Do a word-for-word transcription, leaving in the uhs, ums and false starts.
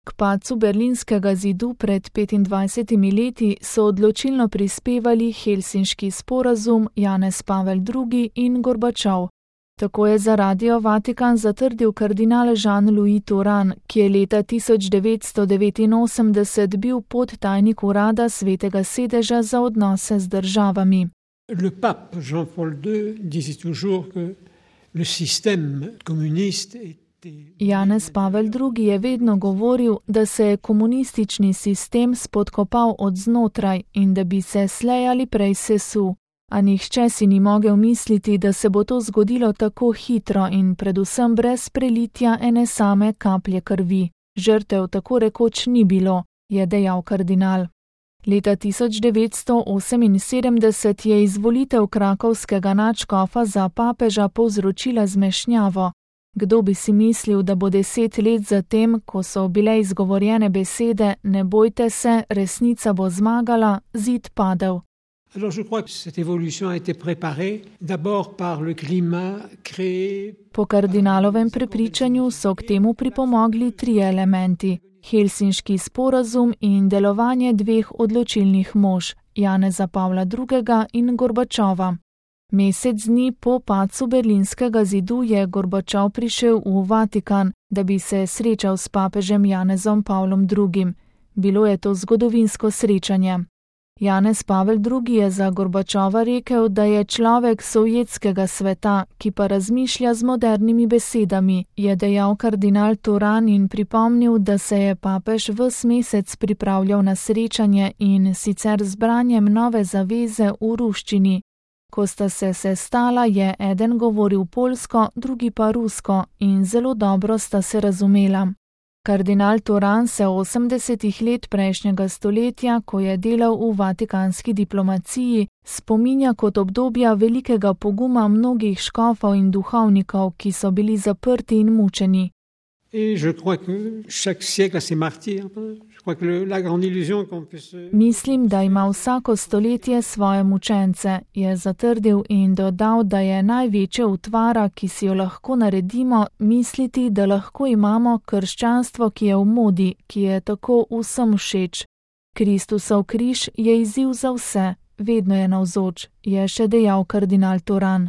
K padcu berlinskega zidu pred petindvajsetimi leti so odločilno prispevali Helsinški sporazum, Janez Pavel drugi in Gorbačov. Tako je za Radio Vatikan zatrdil kardinal Jean-Louis Turhan, ki je leta tisoč devetsto devetinosemdeset bil podtajnik urada Svetega sedeža za odnose z državami. Le pape Jean-Paul drugi disait toujours que le système communiste était... Janez Pavel drugi je vedno govoril, da se je komunistični sistem spodkopal od znotraj in da bi se slej ali prej sesul. A nihče si ni mogel misliti, da se bo to zgodilo tako hitro in predvsem brez prelitja ene same kaplje krvi. Žrtev tako rekoč ni bilo, je dejal kardinal. Leta tisoč devetsto oseminsedemdeset je izvolitev krakovskega nadškofa za papeža povzročila zmešnjavo. Kdo bi si mislil, da bo deset let zatem, ko so bile izgovorjene besede "ne bojte se, resnica bo zmagala", zid padel. Alors je crois que cette évolution a été préparée d'abord par le climat créé. Po kardinalovem prepričanju so k temu pripomogli trije elementi: Helsinški sporazum in delovanje dveh odločilnih mož, Janeza Pavla drugega in Gorbačova. Mesec dni po padcu berlinskega zidu je Gorbačov prišel v Vatikan, da bi se srečal s papežem Janezom Pavlom drugim. Bilo je to zgodovinsko srečanje. Janez Pavel drugi je za Gorbačova rekel, da je človek sovjetskega sveta, ki pa razmišlja z modernimi besedami, je dejal kardinal Turhan in pripomnil, da se je papež ves mesec pripravljal na srečanje in sicer z branjem nove zaveze v ruščini. Ko sta se sestala, je eden govoril poljsko, drugi pa rusko in zelo dobro sta se razumela. Kardinal Turhan se osemdesetih let prejšnjega stoletja, ko je delal v vatikanski diplomaciji, spominja kot obdobja velikega poguma mnogih škofov in duhovnikov, ki so bili zaprti in mučeni. Mislim, da ima vsako stoletje svoje mučence, je zatrdil in dodal, da je največja utvara, ki si jo lahko naredimo, misliti, da lahko imamo krščanstvo, ki je v modi, ki je tako vsem všeč. Kristusov križ je izziv za vse, vedno je navzoč, je še dejal kardinal Turhan.